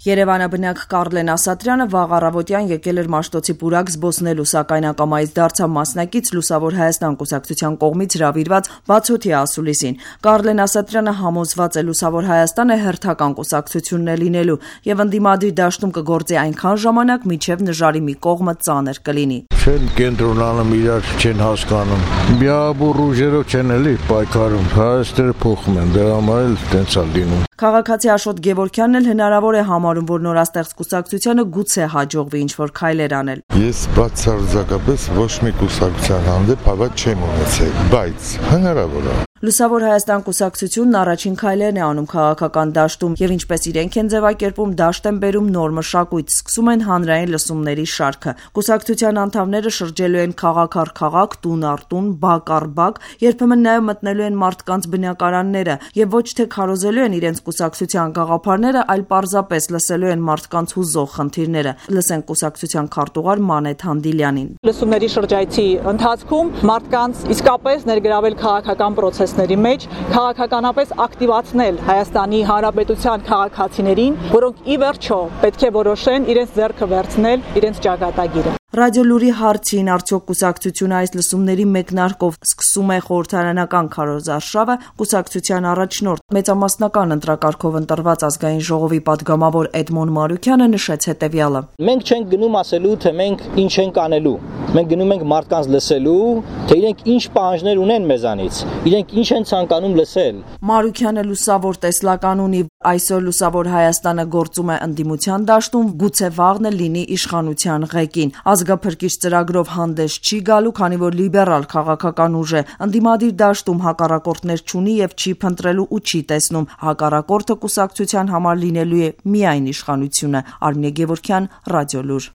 Երևանը բնակ Կարլեն Ասատրյանը վաղ առավոտյան եկել էր Մաշտոցի պուրակ զբոսնելու, սակայն ակամայից դարձավ մասնակից Լուսավոր Հայաստան կուսակցության կողմից հրավիրված բացօթյա ասուլիսին։ Կարլեն Ասատրյանը համոզված է Լուսավոր Հայաստանը հերթական կուսակցությունն է լինելու եւ ընդդիմադիր դաշտում կգործի այնքան ժամանակ, մինչեւ նժարի մի կողմը ծանր կլինի։ Չեն կենտրոնանում, իրար չեն հասկանում։ Միաբուր ուժերով չեն էլի պայքարում, հայաստերը փոխում են, դրա համար էլ տենց է լինում։ Քաղաքացի Աշոտ Գևորգյանն էլ հնարավոր է համարում, որ նորաստեղծ կուսակցությանը գուցե հաջողվի ինչ-որ քայլեր անել։ Ես բացարձակապես ոչ մի կուսակցության հանդեպ հավատ չեմ ունեցել, բայց հնարավոր է։ Լուսավոր Հայաստան կուսակցությունն առաջին քայլերն է անում քաղաքական դաշտում եւ ինչպես իրենք են ձևակերպում, դաշտ են բերում նոր մշակույթ, սկսում են հանրային լսումների շարքը։ Կուսակցության անդամները շրջելու են քաղաք առ քաղաք, տուն առ տուն, բակ առ բակ, երբեմն նաեւ մտնելու են մարդկանց բնակարանները եւ ոչ թե քարոզելու են իրենց կուսակցության գաղափարները, այլ պարզապես լսելու են մարդկանց հուզող խնդիրները։ Լսենք կուսակցության քարտուղար Մանեթ Հանդիլյանին։ Լսումների շրջայցի ընթացքում մարդկանց իսկապես ներգրավել քաղաքական process-ների մեջ, քաղաքականապես ակտիվացնել Հայաստանի Հանրապետության քաղաքացիներին, որոնք ի վերջո պետք է որոշեն իրենց ձեռքը վերցնել իրենց ճակատագիրը։ Ռադիոլուրի հարցին արդյոք կուսակցությունը այս լսումների մեկնարկով սկսում է խորհրդարանական քարոզարշավը, կուսակցության առաջնորդ մեծամասնական ընտրակարգով ընտրված ազգային ժողովի падգամավոր Էդմոն Մարուկյանը նշեց հետևյալը. Մենք չենք գնում ասելու, թե մենք ինչ ենք անելու։ Մենք գնում ենք մարդկանց լսելու, թե իրենք ինչ պահանջներ ունեն մեզանից, իրենք ինչ են ցանկանում լսել։ Մարուկյանը լուսավոր տեսլական ունի, այսօր Լուսավոր Հայաստանը գործում է ընդդիմության դաշտում, գուցե վաղն լինի իշխանության ղեկին։ Ազգափրկիչ ծրագրով հանդես չի գալու, քանի որ լիբերալ քաղաքական ուժ է, ընդդիմադիր դաշտում հակառակորդներ չունի եւ չի փնտրելու ու չի տեսնում։ Հակառակորդը կուսակցության համար լինելու է միայն իշխանությունը։ Արմինե Գևորգյան, Ռադիոլուր։